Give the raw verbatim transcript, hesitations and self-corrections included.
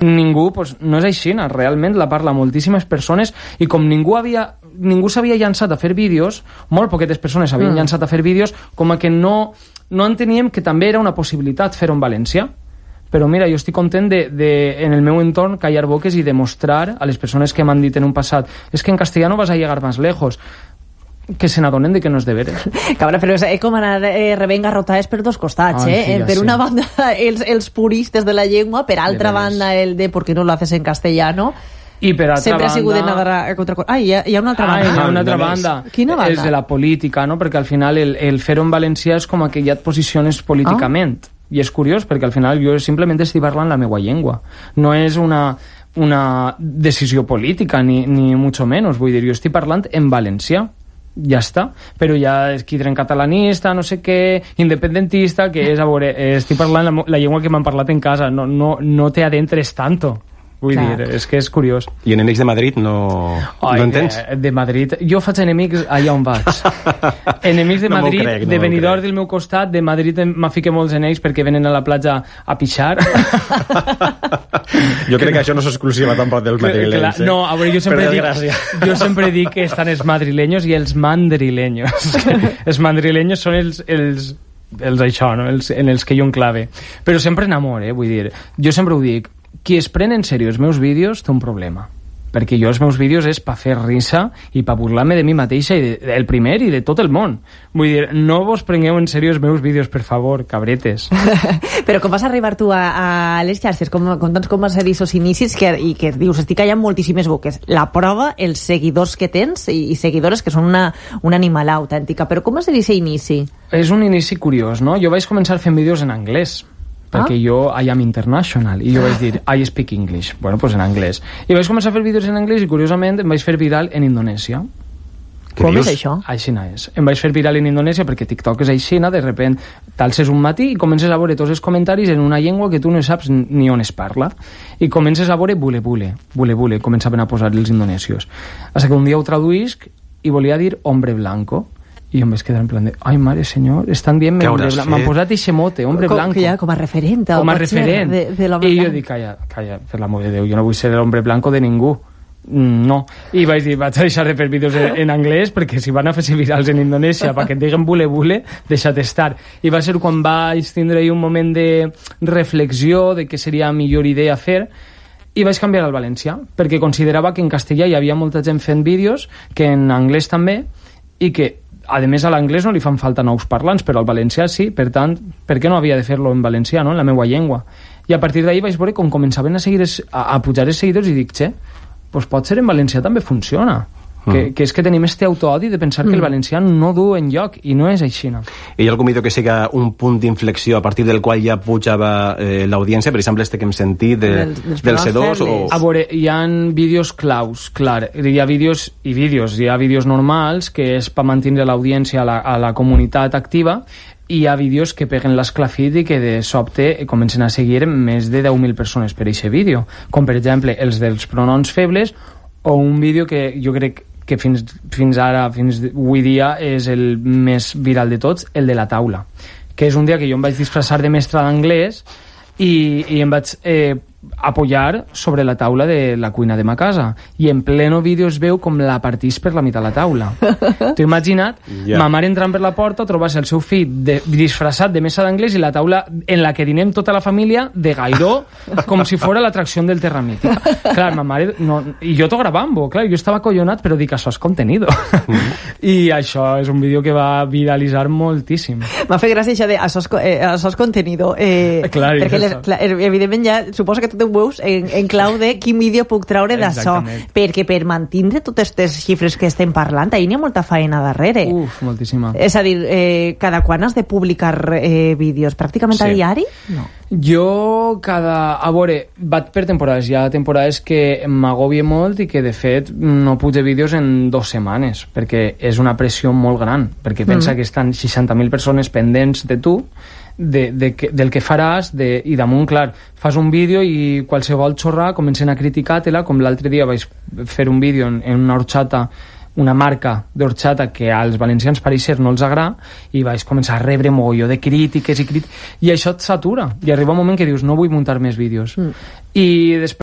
ningú, doncs, no és així, realment la parla moltíssimes persones, i com ningú havia ningú s'havia llançat a fer vídeos, molt poquetes persones s'havien mm. llançat a fer vídeos, com a que no, no enteníem que també era una possibilitat fer-ho en valencià. Però mira, jo estic content de, de, en el meu entorn, callar boques i demostrar a les persones que m'han dit en un passat és que en castellano vas a llegar más lejos, que se n'adonen de que no és de veres. Cabra, però és com anar eh, rebent garrotades per dos costats, Ai, eh? Sí, per sí. una banda, els, els puristes de la llengua, per altra banda, el de ¿por qué no lo haces en castellano? I per altra sempre banda... ha sigut de nadar a contra... Ai, hi ha, hi ha una altra banda. Ai, hi ha una altra banda. Quina banda? És de la política, no? Perquè al final el, el fer-ho en valencià és com que ja et posiciones políticament. Ah. I és curiós, perquè al final jo simplement estic parlant la meva llengua. No és una, una decisió política, ni, ni mucho menos. Vull dir, jo estic parlant en valencià. Ja està. Però ja és quidren catalanista, no sé què, independentista, que és, a veure, estic parlant la, la llengua que m'han parlat en casa. No, no, no te adentres tanto. Vull Clar. dir, és que és curiós. I enemics de Madrid no, Ai, no entens? De, de Madrid... Jo faig enemics allà on vaig. Enemics de no Madrid, crec, no de venidor del meu costat, de Madrid m'ha ficat molts en ells perquè venen a la platja a pixar. Jo crec que això no és exclusiva tampoc dels madrileños. Eh? No, a veure, jo sempre, dic, jo sempre dic que estan els madrileños i els mandrileños. Els mandrileños són els... els els això, no? els, en els que jo enclave. Però sempre en amor, eh? Vull dir, jo sempre ho dic, qui es pren en sèrio els meus vídeos té un problema, perquè jo els meus vídeos és per fer risa i per burlar-me de mi mateixa, i de, el primer i de tot el món. Vull dir, no vos prengueu en sèrio els meus vídeos, per favor, cabretes. Però com vas arribar tu a, a les xarxes? Com, com, com vas ser aquests inicis que, i que dius, estic callant moltíssimes boques? La prova, els seguidors que tens i, i seguidores que són una, una animal autèntica. Però com va ser aquest inici? És un inici curiós, no? Jo vaig començar fent vídeos en anglès, perquè ah? jo I am international, i jo vaig dir I speak English, bueno, pues en anglès, i vaig començar a fer vídeos en anglès i curiosament em vaig fer viral en Indonèsia. Com és això? Aixina és. Em vaig fer viral en Indonèsia perquè TikTok és aixina, de repent t'alces un matí i comences a veure tots els comentaris en una llengua que tu no saps ni on es parla, i comences a veure bule bule, bule bule, començaven a posar els indonesios, fins que un dia ho traduïsc i volia dir hombre blanco, i em vaig quedar en plan de, ai mare senyor, estan dient hombre blanco, m'han posat eixe mote, hombre com, blanco, ja, com a referent, com a referent de, de i jo dic, calla, calla, per l'amor de Déu, jo no vull ser l'hombre blanco de ningú, no, i vaig dir, vaig a deixar de fer vídeos en, en anglès, perquè si van a fer virals en Indonèsia perquè et diguen bule bule, deixa't estar. I va ser quan vaig tindre un moment de reflexió de què seria millor idea fer, i vaig canviar al valencià, perquè considerava que en castellà hi havia molta gent fent vídeos, que en anglès també, i que a més a l'anglès no li fan falta nous parlants, però al valencià sí, per tant, per què no havia de fer-lo en valencià, no? En la meva llengua? I a partir d'ahir vaig veure com començaven a, seguir es, a, a pujar els seguidors i dic, che, pues pot ser en valencià també funciona. Mm. Que, que és que tenim este autoodi de pensar mm. que el valencià no du enlloc, i no és així. No? Hi ha algun vídeo que siga un punt d'inflexió a partir del qual ja pujava eh, l'audiència, per exemple este que hem sentit de, del, del C dos? O... A veure, hi ha vídeos claus, clar, hi ha vídeos i vídeos, hi ha vídeos normals que és per mantenir l'audiència a, la, a la comunitat activa, i hi ha vídeos que peguen l'esclafit i que de sobte comencen a seguir més de deu mil persones per aquest vídeo, com per exemple els dels pronoms febles, o un vídeo que jo crec que fins, fins ara, fins avui dia, és el més viral de tots, el de la taula, que és un dia que jo em vaig disfressar de mestre d'anglès i, i em vaig eh, apoyar sobre la taula de la cuina de ma casa, i en pleno vídeo es veu com la partís per la meitat la taula. T'ho imagina't? Yeah. Ma mare entrant per la porta, trobar-se el seu fill de, disfressat de mesa d'anglès i la taula en la que dinem tota la família de gairó, com si fora l'atracció del Terra Mítica. Clar, ma mare... No, i jo t'ho gravant-ho, clar, jo estava acollonat, però dic, això és contenido. Mm. I això és un vídeo que va viralitzar moltíssim. M'ha fet gràcia això de això és, eh, això és contenido. Eh, clar, perquè les, clar, evidentment ja suposo que tu ho veus en, en clau de quin vídeo puc treure d'això, perquè per mantenir totes aquestes xifres que estem parlant, ahir n'hi ha molta feina darrere. Uf, moltíssima. És a dir, eh, cada quan has de publicar eh, vídeos? Pràcticament sí. A diari? No. Jo cada... A veure, vaig per temporades. Hi ha temporades que m'agobie molt i que de fet no pujo vídeos en dues setmanes, perquè és una pressió molt gran, perquè pensa mm. que estan seixanta mil persones pendents de tu, De, de, de, del que faràs, de, i damunt, clar, fas un vídeo i qualsevol xorrà comencen a criticar-te-la, com l'altre dia vaig fer un vídeo en, en una horxata una marca d'orxata que als valencians pareix ser no els agrada, i vaig començar a rebre mogolló de crítiques i crítiques, i això et satura, i arriba un moment que dius no vull muntar més vídeos. Mm. I després